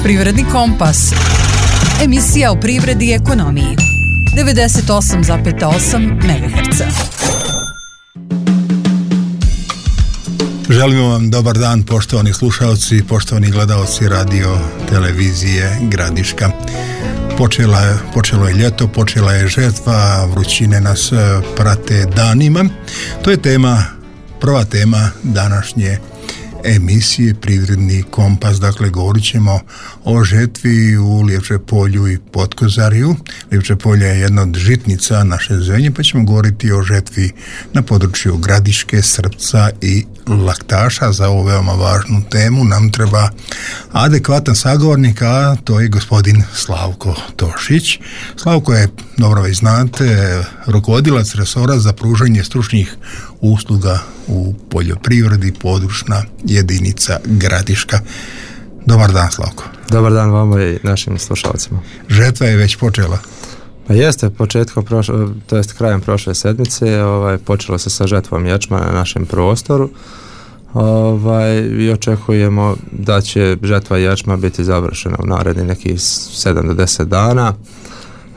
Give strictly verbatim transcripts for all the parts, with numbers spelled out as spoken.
Privredni kompas. Emisija o privredi i ekonomiji. devedeset osam zarez osam megaherca. Želimo vam dobar dan, poštovani slušalci, poštovani gledalci radio televizije Gradiška. Počela je, počelo je ljeto, počela je žetva, vrućine nas prate danima. To je tema, prva tema današnje emisije Privredni kompas. Dakle, govorit ćemo o žetvi u Livče polju i Potkozarju. Livče polje je jedna od žitnica naše zemlje, pa ćemo govoriti o žetvi na području Gradiške, Srpca i Laktaša. Za ovu veoma važnu temu nam treba adekvatan sagovornik, a to je gospodin Slavko Tošić. Slavko je, dobro već znate, rukovodilac resora za pružanje stručnih usluga u poljoprivredi, područna jedinica Gradiška. Dobar dan, Slavko. Dobar dan vama i našim slušalcima. Žetva je već počela. Pa jeste, početkom prošle, to jest krajem prošle sedmice, ovaj, počelo se sa žetvom ječma na našem prostoru. Ovaj, i očekujemo da će žetva ječma biti završena u naredni nekih sedam do deset dana.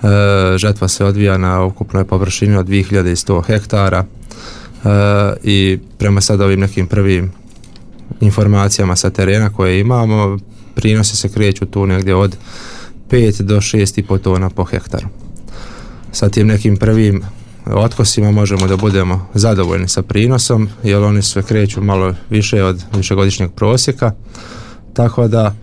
E, žetva se odvija na ukupnoj površini od dvije hiljade sto hektara. E, i prema sad ovim nekim prvim informacijama sa terena koje imamo, prinosi se kreću tu negdje od pet do šest i po tona po hektaru. Sa tim nekim prvim otkosima možemo da budemo zadovoljni sa prinosom, jer oni sve kreću malo više od višegodišnjeg prosjeka, tako da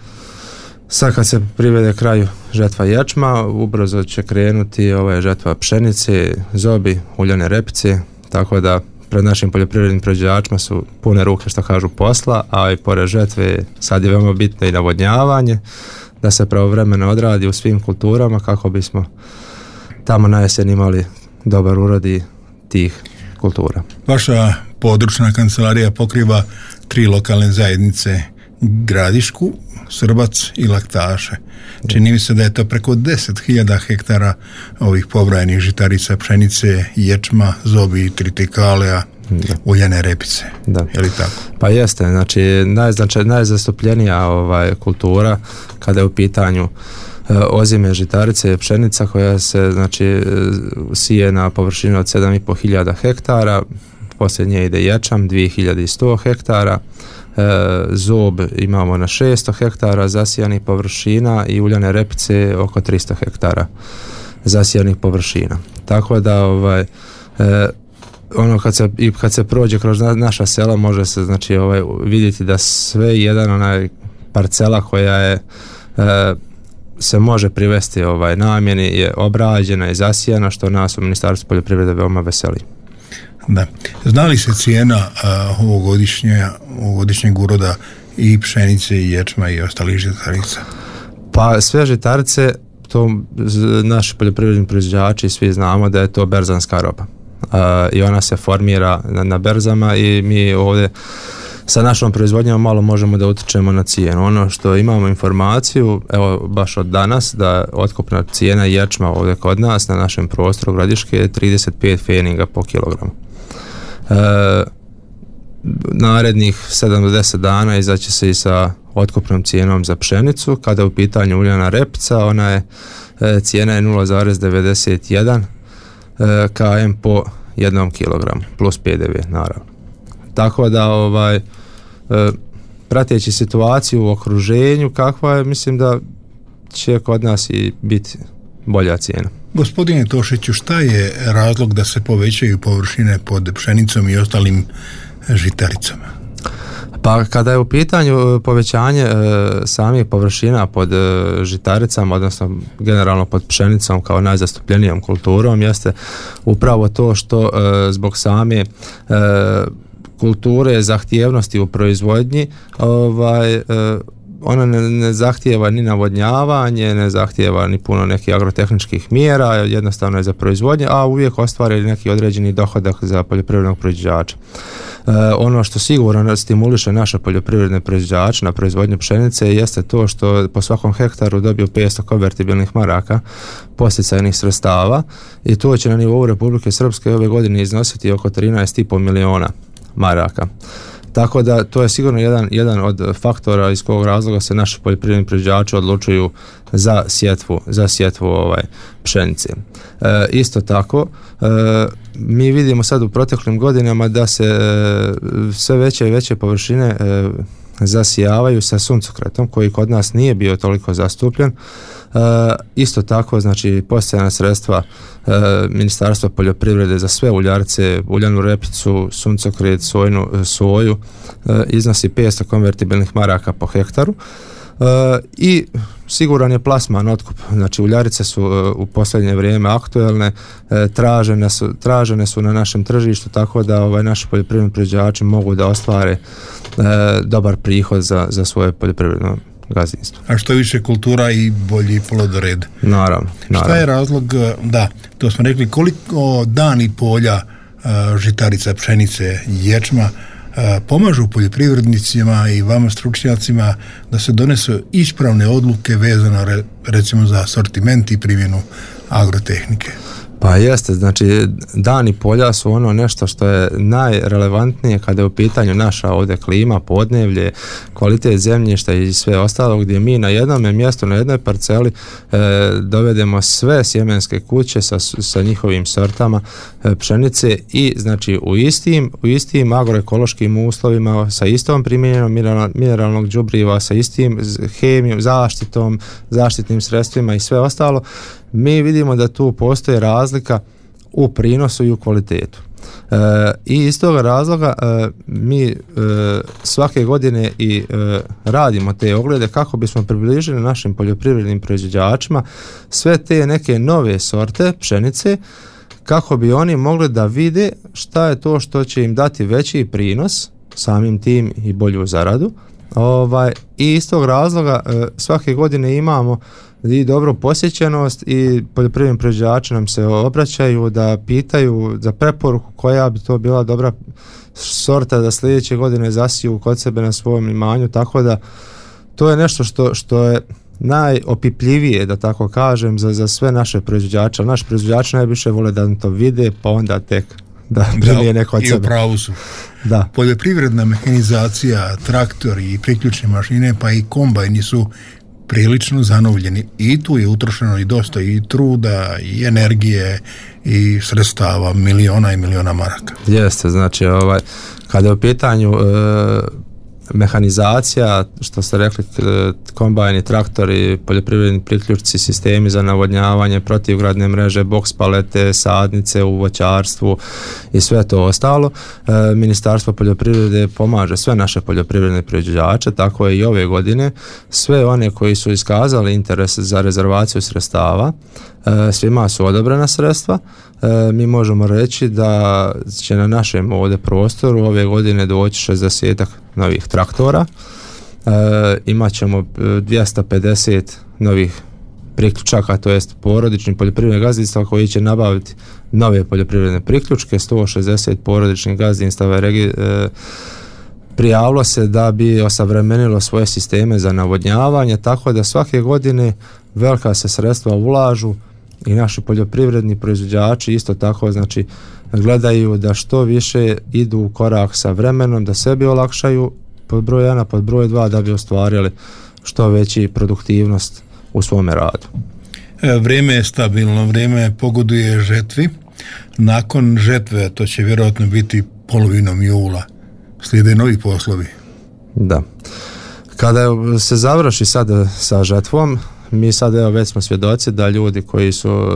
sad kad se privede kraju žetva ječma, ubrzo će krenuti ova žetva pšenice, zobi, uljane repice, tako da pred našim poljoprivrednim proizvođačima su pune ruke, što kažu, posla, a i pored žetve sad je veoma bitno i navodnjavanje, da se pravovremeno odradi u svim kulturama kako bismo tamo na jesen imali dobar urod i tih kultura. Vaša područna kancelarija pokriva tri lokalne zajednice, Gradišku, Srbac i Laktaše. Čini mi se da je to preko deset hiljada hektara ovih pobrojanih žitarica, pšenice, ječma, zobi, tritikaleja, uljane repice. Da. Je li tako? Pa jeste, znači najznačaj, najzastupljenija ovaj, kultura kada je u pitanju e, ozime žitarice, pšenica koja se znači sije na površinu od sedam i po hiljada hektara, poslije nje ide ječam dvije hiljade sto hektara, E, zob imamo na šesto hektara zasijanih površina i uljane repice oko tristo hektara zasijanih površina. Tako da ovaj, e, ono kad se, i kad se prođe kroz naša sela može se znači ovaj, vidjeti da sve jedan onaj parcela koja je e, se može privesti ovaj, namjeni je obrađena i zasijana, što nas u Ministarstvu poljoprivrede veoma veseli. Da. Zna li se cijena uh, ovogodišnje, ovogodišnjeg uroda i pšenice i ječma i ostalih žitarica? Pa sve žitarice, to naši poljoprivredni proizvođači svi znamo da je to berzanska roba. Uh, I ona se formira na, na berzama i mi ovdje sa našom proizvodnjom malo možemo da utičemo na cijenu. Ono što imamo informaciju, evo baš od danas, da otkupna cijena ječma ovdje kod nas na našem prostoru Gradiške je trideset pet pfeninga po kilogramu. E, narednih sedam do deset dana izaći se i sa otkupnom cijenom za pšenicu. Kada je u pitanju uljana repica, ona je e, cijena je nula zarez devedeset jedan e, km po jednom kilogramu plus P D V naravno. Tako da ovaj e, prateći situaciju u okruženju kakva je, mislim da će kod nas i biti bolja cijena. Gospodine Tošiću, šta je razlog da se povećaju površine pod pšenicom i ostalim žitaricama? Pa kada je u pitanju povećanje e, samih površina pod e, žitaricama, odnosno generalno pod pšenicom kao najzastupljenijom kulturom, jeste upravo to što e, zbog same e, kulture zahtjevnosti u proizvodnji ovaj, e, ona ne, ne zahtijeva ni navodnjavanje, ne zahtijeva ni puno nekih agrotehničkih mjera, jednostavno je za proizvodnje, a uvijek ostvari neki određeni dohodak za poljoprivrednog proizvođača. E, ono što sigurno stimuliše naše poljoprivredne proizvođače na proizvodnju pšenice jeste to što po svakom hektaru dobiju petsto konvertibilnih maraka podsticajnih sredstava i to će na nivou Republike Srpske ove godine iznositi oko trinaest i po miliona maraka. Tako da to je sigurno jedan, jedan od faktora iz kojeg razloga se naši poljoprivredni proizvođači odlučuju za sjetvu, za sjetvu ovaj, pšenice. E, isto tako, e, mi vidimo sad u proteklim godinama da se e, sve veće i veće površine e, zasijavaju sa suncokretom koji kod nas nije bio toliko zastupljen. E, isto tako, znači postojana sredstva e, Ministarstva poljoprivrede za sve uljarice, uljanu repicu, suncokret, sojnu, soju e, iznosi petsto konvertibilnih maraka po hektaru. E, i siguran je plasman, otkup. Znači uljarice su e, u posljednje vrijeme aktuelne, e, tražene su, tražene su na našem tržištu, tako da ovaj, naši poljoprivredni proizvođači mogu da ostvare e, dobar prihod za, za svoje poljoprivredno gazdinstvo. A što više kultura i bolji plodored. Naravno, naravno. Šta je razlog, da, to smo rekli, koliko dani polja, žitarica, pšenice, ječma pomažu poljoprivrednicima i vama stručnjacima da se donesu ispravne odluke vezano recimo za asortiment i primjenu agrotehnike? Pa jeste, znači dani polja su ono nešto što je najrelevantnije kada je u pitanju naša ovdje klima, podnevlje, kvalitet zemljišta i sve ostalo, gdje mi na jednom mjestu, na jednoj parceli e, dovedemo sve sjemenske kuće sa, sa njihovim sortama e, pšenice i znači u istim, u istim agroekološkim uslovima, sa istom primjenjenom mineral, mineralnog đubriva, sa istim hemijom, zaštitom, zaštitnim sredstvima i sve ostalo. Mi vidimo da tu postoji razlika u prinosu i u kvalitetu. E, I iz toga razloga e, mi e, svake godine i e, radimo te oglede kako bismo približili našim poljoprivrednim proizvođačima sve te neke nove sorte pšenice, kako bi oni mogli da vide šta je to što će im dati veći prinos, samim tim i bolju zaradu. Ovaj, i iz tog razloga e, svake godine imamo i dobru posjećenost i poljoprivredni proizvođači nam se obraćaju da pitaju za preporuku koja bi to bila dobra sorta da sljedeće godine zasiju kod sebe na svom imanju, tako da to je nešto što, što je najopipljivije, da tako kažem, za, za sve naše proizvođače. Ali naši proizvođači najviše vole da to vide, pa onda tek da primije neko od sebe. I u pravu su. Da. Poljoprivredna mehanizacija, traktori i priključne mašine, pa i kombajni su prilično zanovljeni i tu je utrošeno i dosta i truda i energije i sredstava, miliona i miliona maraka. Jeste, znači ovaj, kada je u pitanju e, mehanizacija, što ste rekli, kombajni, traktori, poljoprivredni priključci, sistemi za navodnjavanje, protivgradne mreže, boks palete, sadnice u voćarstvu i sve to ostalo. E, Ministarstvo poljoprivrede pomaže sve naše poljoprivredne proizvođače, tako je i ove godine. Sve one koji su iskazali interes za rezervaciju sredstava, e, svima su odobrena sredstva. E, mi možemo reći da će na našem ovdje prostoru ove godine doći šezdeset novih traktora, e, imat ćemo dvjesto pedeset novih priključaka, to jest porodičnih poljoprivrednih gazdinstava koji će nabaviti nove poljoprivredne priključke, sto šezdeset porodičnih gazdinstava regi, e, prijavilo se da bi osavremenilo svoje sisteme za navodnjavanje, tako da svake godine velika se sredstva ulažu i naši poljoprivredni proizvođači isto tako, znači gledaju da što više idu u korak sa vremenom, da sebi olakšaju pod broj jedan, pod broj dva, da bi ostvarili što veći produktivnost u svome radu. Vrijeme je stabilno, vrijeme pogoduje žetvi. Nakon žetve, to će vjerojatno biti polovinom jula, slijede novi poslovi. Da. Kada se završi sad sa žetvom, mi sad evo već smo svjedoci da ljudi koji su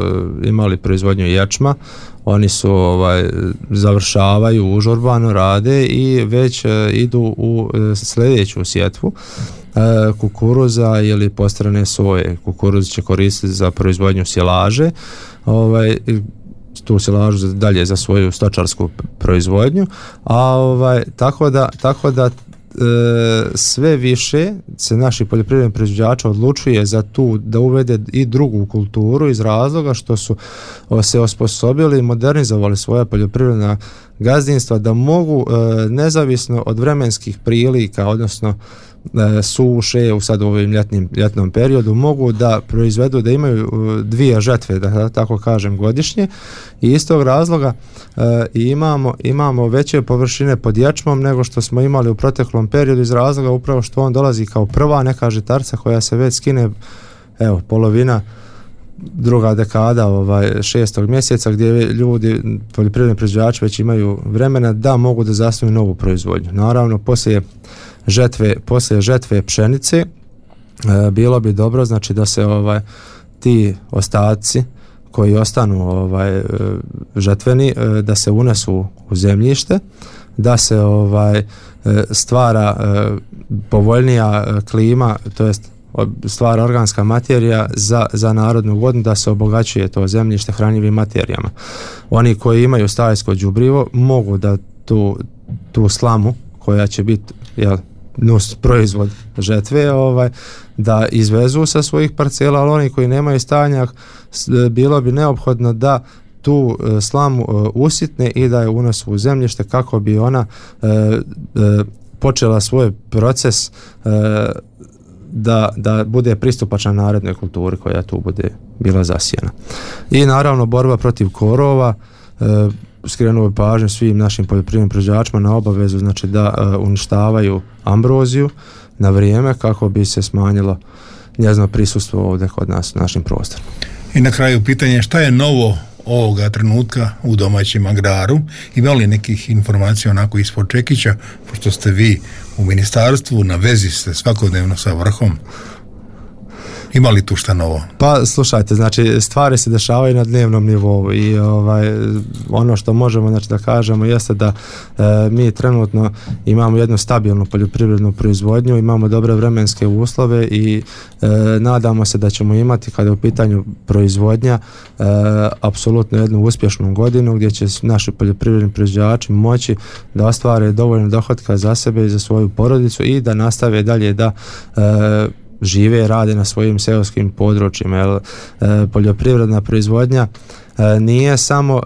imali proizvodnju ječma, oni su ovaj, završavaju užurbano, rade i već e, idu u e, sljedeću sjetvu e, kukuruza ili postrane soje. Kukuruz će koristiti za proizvodnju silaže, ovaj, tu silažu dalje za svoju stočarsku proizvodnju, a ovaj, tako da, tako da sve više se naši poljoprivredni proizvođači odlučuje za tu da uvede i drugu kulturu iz razloga što su se osposobili i modernizovali svoja poljoprivredna gazdinstva da mogu e, nezavisno od vremenskih prilika, odnosno e, suše u sad u ovim ljetnim, ljetnom periodu, mogu da proizvedu, da imaju dvije žetve, da tako kažem, godišnje, i iz tog razloga e, imamo, imamo veće površine pod ječmom nego što smo imali u proteklom periodu, iz razloga upravo što on dolazi kao prva neka žitarca koja se već skine, evo, polovina druga dekada ovaj šestog mjeseca, gdje ljudi, poljoprivredni proizvođači, već imaju vremena da mogu da zasnuju novu proizvodnju. Naravno, poslije žetve, poslije žetve pšenice e, bilo bi dobro, znači, da se ovaj ti ostaci koji ostanu ovaj žetveni e, da se unesu u zemljište, da se ovaj stvara e, povoljnija klima, to jest stvara organska materija za, za narodnu vodu, da se obogaćuje to zemljište hranjivim materijama. Oni koji imaju stajsko đubrivo mogu da tu, tu slamu koja će biti, jel, nus proizvod žetve, ovaj, da izvezu sa svojih parcela, ali oni koji nemaju stajnjak, bilo bi neophodno da tu slamu usitne i da je unesu u zemljište kako bi ona e, e, počela svoj proces e, da, da bude pristupačna narednoj kulturi koja tu bude bila zasijena. I naravno borba protiv korova, e, skrenuo bi pažnju svim našim poljoprivrednim proizvođačima na obavezu, znači, da e, uništavaju ambroziju na vrijeme kako bi se smanjilo njezino prisustvo ovdje kod nas u našim prostorima. I na kraju pitanje, šta je novo ovoga trenutka u domaćem agraru? Ima li nekih informacija onako ispod čekića, pošto ste vi u ministarstvu, na vezi ste svakodnevno sa vrhom? Ima li tu šta novo? Pa slušajte, znači, stvari se dešavaju na dnevnom nivou i ovaj, ono što možemo, znači, da kažemo jeste da e, mi trenutno imamo jednu stabilnu poljoprivrednu proizvodnju, imamo dobre vremenske uslove i e, nadamo se da ćemo imati, kada je u pitanju proizvodnja, e, apsolutno jednu uspješnu godinu gdje će naši poljoprivredni proizvođači moći da ostvare dovoljno dohotka za sebe i za svoju porodicu i da nastave dalje da e, žive i rade na svojim seoskim područjima, jer e, poljoprivredna proizvodnja e, nije samo e,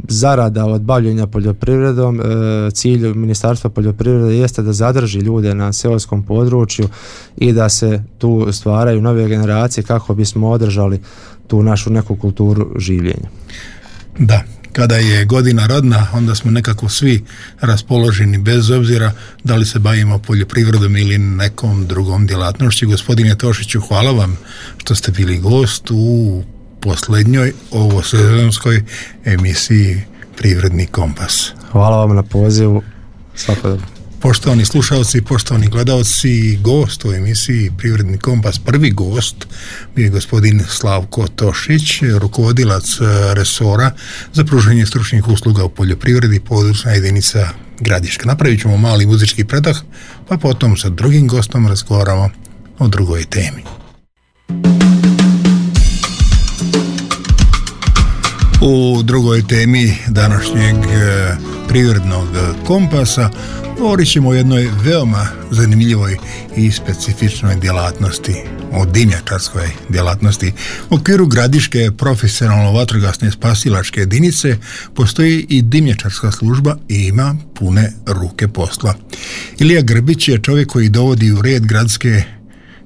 zarada od bavljenja poljoprivredom. E, cilj Ministarstva poljoprivrede jeste da zadrži ljude na seoskom području i da se tu stvaraju nove generacije kako bismo održali tu našu neku kulturu življenja. Da, kada je godina rodna, onda smo nekako svi raspoloženi, bez obzira da li se bavimo poljoprivredom ili nekom drugom djelatnošću. Gospodine Tošiću, hvala vam što ste bili gost u posljednjoj ovosezonskoj emisiji Privredni kompas. Hvala vam na pozivu. Svako dobro. Poštovani slušalci, poštovani gledalci, gost u emisiji Privredni kompas, prvi gost bio je gospodin Slavko Tošić, rukovodilac resora za pružanje stručnih usluga u poljoprivredi, područna jedinica Gradiška. Napravit ćemo mali muzički predah, pa potom sa drugim gostom razgovaramo o drugoj temi. U drugoj temi današnjeg Privrednog kompasa govorit ćemo o jednoj veoma zanimljivoj i specifičnoj djelatnosti, o dimnjačarskoj djelatnosti. U okviru Gradiške profesionalno vatrogasne spasilačke jedinice postoji i dimnjačarska služba i ima pune ruke posla. Ilija Grbić je čovjek koji dovodi u red gradske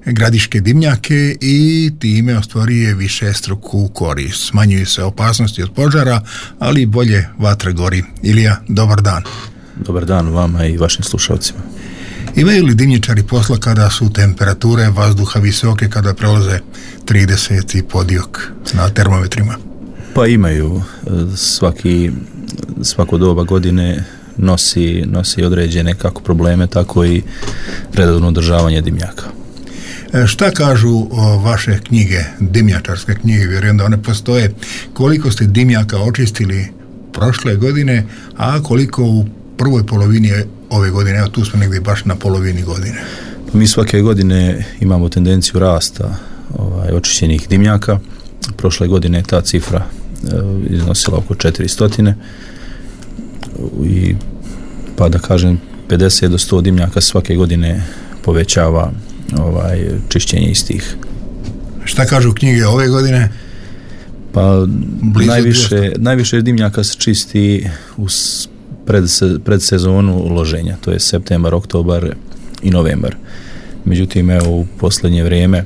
gradiške dimnjake i time ostvaruje višestruku korist. Smanjuju se opasnosti od požara, ali i bolje vatra gori. Ilija, dobar dan. Dobar dan vama i vašim slušalcima. Imaju li dimnjačari posla kada su temperature vazduha visoke, kada prelaze trideset i podiok na termometrima? Pa imaju. Svaki, svako doba godine nosi, nosi određene kako probleme, tako i redovno održavanje dimnjaka. Šta kažu o vaše knjige, dimnjačarske knjige? Vjerujem da one postoje. Koliko ste dimnjaka očistili prošle godine, a koliko u prvoj polovini ove godine? Evo, tu smo negdje baš na polovini godine. Mi svake godine imamo tendenciju rasta ovaj, očišćenih dimnjaka. Prošle godine je ta cifra e, iznosila oko četiristo i pa da kažem pedeset do sto dimnjaka svake godine povećava ovaj čišćenje istih. Šta kažu knjige ove godine? Pa najviše, najviše dimnjaka se čisti u pred, pred sezonu loženja, to je septembar, oktobar i novembar. Međutim, evo u posljednje vrijeme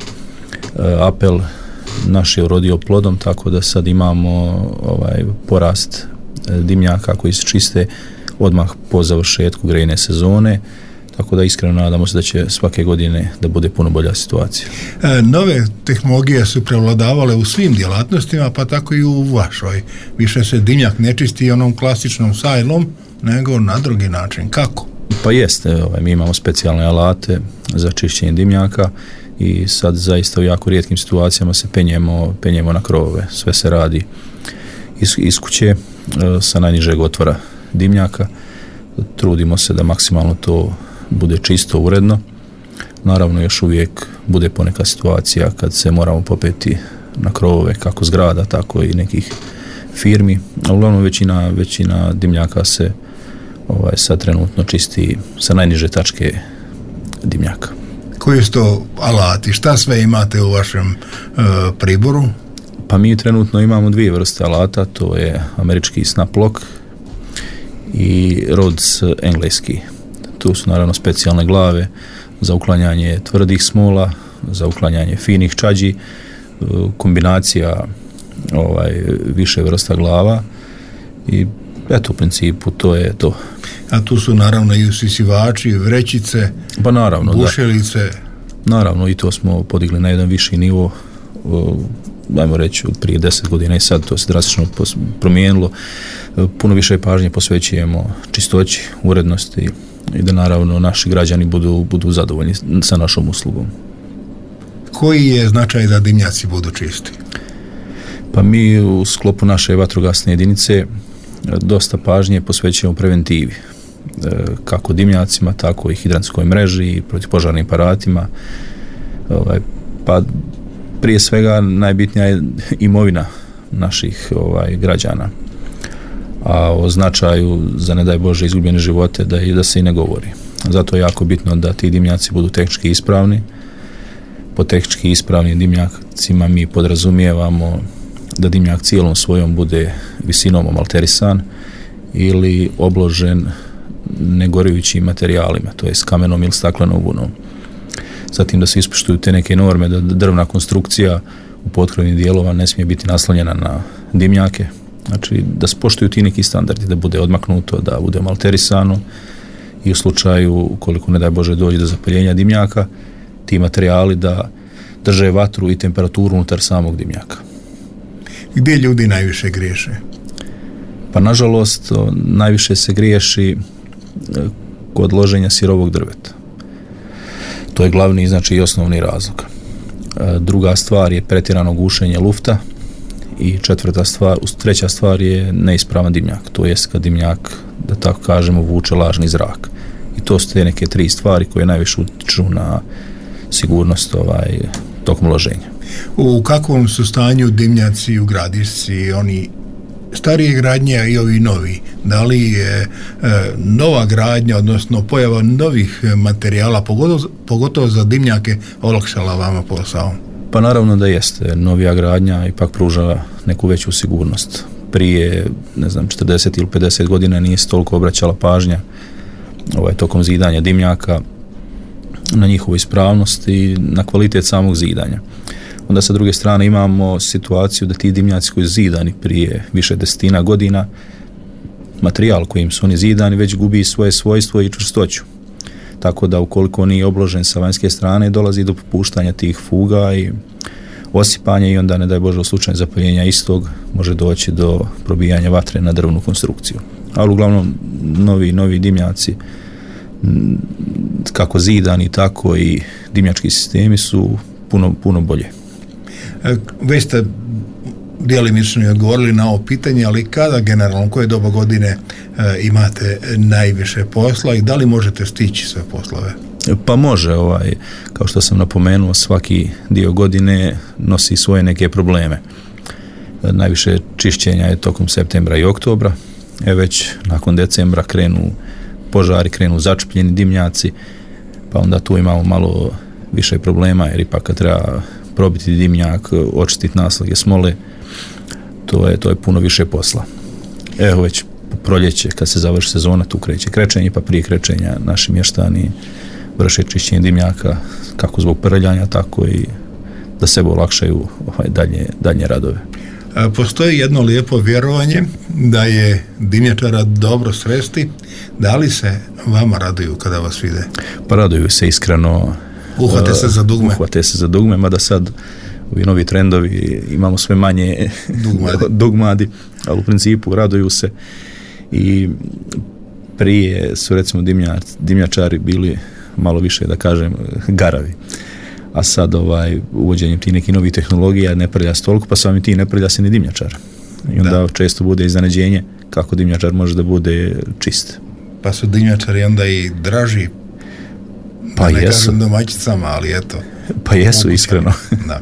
apel naš je urodio plodom, tako da sad imamo ovaj porast dimnjaka koji se čiste odmah po završetku grejne sezone, tako da iskreno nadamo se da će svake godine da bude puno bolja situacija. E, nove tehnologije su prevladavale u svim djelatnostima, pa tako i u vašoj. Više se dimnjak ne čisti onom klasičnom sajlom, nego na drugi način. Kako? Pa jeste, ovaj, mi imamo specijalne alate za čišćenje dimnjaka i sad zaista u jako rijetkim situacijama se penjemo, penjemo na krovove. Sve se radi iz, iz kuće sa najnižeg otvora dimnjaka. Trudimo se da maksimalno to bude čisto, uredno. Naravno, još uvijek bude poneka situacija kad se moramo popeti na krovove kako zgrada, tako i nekih firmi. A uglavnom većina, većina dimnjaka se ovaj, sad trenutno čisti sa najniže tačke dimnjaka. Koji su to alati? Šta sve imate u vašem uh, priboru? Pa mi trenutno imamo dvije vrste alata, to je američki snap lock i Rhodes engleski. Tu su naravno specijalne glave za uklanjanje tvrdih smola, za uklanjanje finih čađi, kombinacija ovaj, više vrsta glava i eto u principu to je to. A tu su naravno i usisivači, vrećice, pa naravno, bušelice. Da. Naravno i to smo podigli na jedan viši nivo, dajmo reći od prije deset godina i sad to se drastično promijenilo. Puno više pažnje posvećujemo čistoći, urednosti i da naravno naši građani budu, budu zadovoljni sa našom uslugom. Koji je značaj da dimnjaci budu čisti? Pa mi u sklopu naše vatrogasne jedinice dosta pažnje posvećujemo preventivi, kako dimnjacima, tako i hidrantskoj mreži i protivpožarnim aparatima. Pa prije svega najbitnija je imovina naših ovaj, građana, a o značaju za ne daj Bože izgubljene živote da, da se i ne govori. Zato je jako bitno da ti dimnjaci budu tehnički ispravni. Po tehnički ispravnim dimnjacima mi podrazumijevamo da dimnjak cijelom svojom bude visinom omalterisan ili obložen negorujućim materijalima, to je s kamenom ili staklenom vunom. Zatim da se ispoštuju te neke norme, da drvna konstrukcija u potkrovnim dijelova ne smije biti naslonjena na dimnjake, znači da se poštuju ti neki standardi, da bude odmaknuto, da bude omalterisano i u slučaju, ukoliko ne daj Bože dođe do zapaljenja dimnjaka, ti materijali da drže vatru i temperaturu unutar samog dimnjaka. Gdje ljudi najviše griješe? Pa nažalost najviše se griješi kod loženja sirovog drveta. To je glavni, znači i osnovni razlog. Druga stvar je pretjerano gušenje lufta i četvrta stvar, treća stvar je neispravan dimnjak, to jest kad dimnjak, da tako kažemo, vuče lažni zrak. I to su te neke tri stvari koje najviše utiču na sigurnost ovaj, tokom loženja. U kakvom su stanju dimnjaci u Gradišci, oni starije gradnje i ovi novi? Da li je e, nova gradnja, odnosno pojava novih materijala, pogotovo, pogotovo za dimnjake, olakšala vama posao? Pa naravno da jeste. Novija gradnja ipak pruža neku veću sigurnost. Prije, ne znam, četrdeset ili pedeset godina nije se toliko obraćala pažnja ovaj, tokom zidanja dimnjaka na njihovu ispravnost i na kvalitet samog zidanja. Onda sa druge strane imamo situaciju da ti dimnjaci koji su zidani prije više desetina godina, materijal kojim su oni zidani već gubi svoje svojstvo i čvrstoću. Tako da ukoliko nije obložen sa vanjske strane, dolazi do popuštanja tih fuga i osipanja i onda, ne daj Bože, u slučaju zapaljenja istog može doći do probijanja vatre na drvnu konstrukciju. Ali uglavnom novi, novi dimnjaci, kako zidani, tako i dimnjački sistemi su puno, puno bolje. Već ste djelimično i odgovorili na ovo pitanje, ali kada generalno, koje doba godine e, imate najviše posla i da li možete stići sve poslove? Pa može, ovaj, kao što sam napomenuo, svaki dio godine nosi svoje neke probleme. Najviše čišćenja je tokom septembra i oktobra, e već nakon decembra krenu požari, krenu začepljeni dimnjaci, pa onda tu imamo malo više problema, jer ipak kad treba probiti dimnjak, očistiti naslage smole, to je, to je puno više posla. Evo već proljeće, kad se završi sezona, tu kreće krečenje, pa prije krečenja naši mještani vrše čišćenje dimnjaka, kako zbog prljanja, tako i da sebe olakšaju ovaj, dalje, dalje radove. Postoji jedno lijepo vjerovanje da je dimnjačara dobro sresti. Da li se vama raduju kada vas vide? Pa raduju se iskreno. Uhvate se za dugme. Uhvate se za dugme, mada sad ovi novi trendovi imamo sve manje dugmadi, dugmadi ali u principu raduju se. I prije su recimo dimnjač, dimnjačari bili malo više, da kažem, garavi. A sad ovaj, uvođenjem tih nekih novih tehnologija ne prlja se toliko, pa samim ti ne prlja se ni dimnjačar. I onda da. često bude iznenađenje kako dimnjačar može da bude čist. Pa su dimnjačari onda i draži, pa da ne jesu. kažem domaćicama, ali eto. Pa jesu, mogu, iskreno. Da.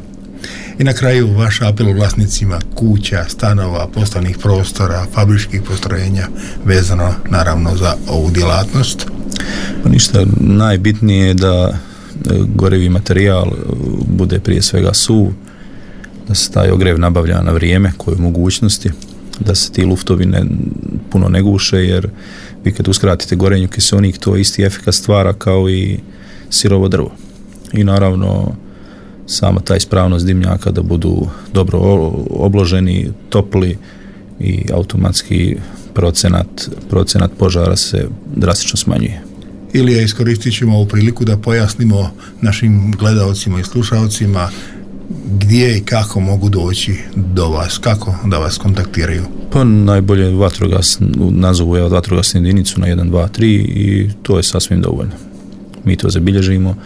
I na kraju vaš apel vlasnicima kuća, stanova, poslovnih prostora, fabričkih postrojenja, vezano naravno za ovu djelatnost. Pa ništa, najbitnije je da gorevi materijal bude prije svega suv, da se taj ogrev nabavlja na vrijeme, koje u mogućnosti, da se ti luftovi ne, puno ne guše, jer vi kad uskratite gorenju kiseonik, to isti efekat stvara kao i sirovo drvo. I naravno sama ta ispravnost dimnjaka da budu dobro obloženi, topli i automatski procenat, procenat požara se drastično smanjuje. Ilija, iskoristit ćemo ovu priliku da pojasnimo našim gledaocima i slušalcima gdje i kako mogu doći do vas, kako da vas kontaktiraju. Pa najbolje vatrogas, nazovu je vatrogasnu jedinicu na jedan dva tri i to je sasvim dovoljno. Mi to zabilježimo,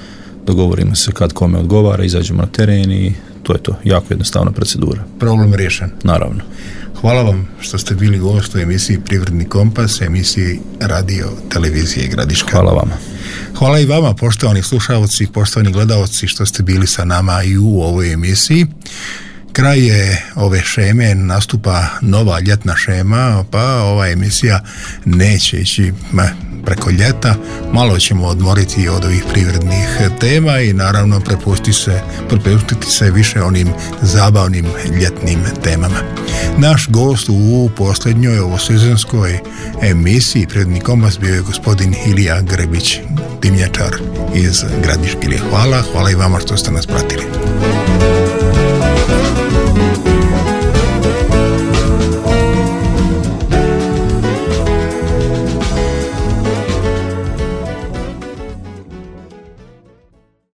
dogovorimo se kad kome odgovara, izađemo na teren i to je to. Jako jednostavna procedura. Problem riješen. Naravno. Hvala vam što ste bili gost u emisiji Privredni kompas, emisiji radio televizije Gradiška. Hvala vama. Hvala i vama, poštovani slušalci, poštovani gledaoci, što ste bili sa nama i u ovoj emisiji. Kraj je ove šeme, nastupa nova ljetna šema, pa ova emisija neće ići preko ljeta. Malo ćemo odmoriti od ovih privrednih tema i naravno prepustiti se, prepustiti se više onim zabavnim ljetnim temama. Naš gost u posljednjoj ovosezonskoj emisiji Privredni kompas bio je gospodin Ilija Grebić, dimnjačar iz Gradiške. Hvala, hvala i vama što ste nas pratili.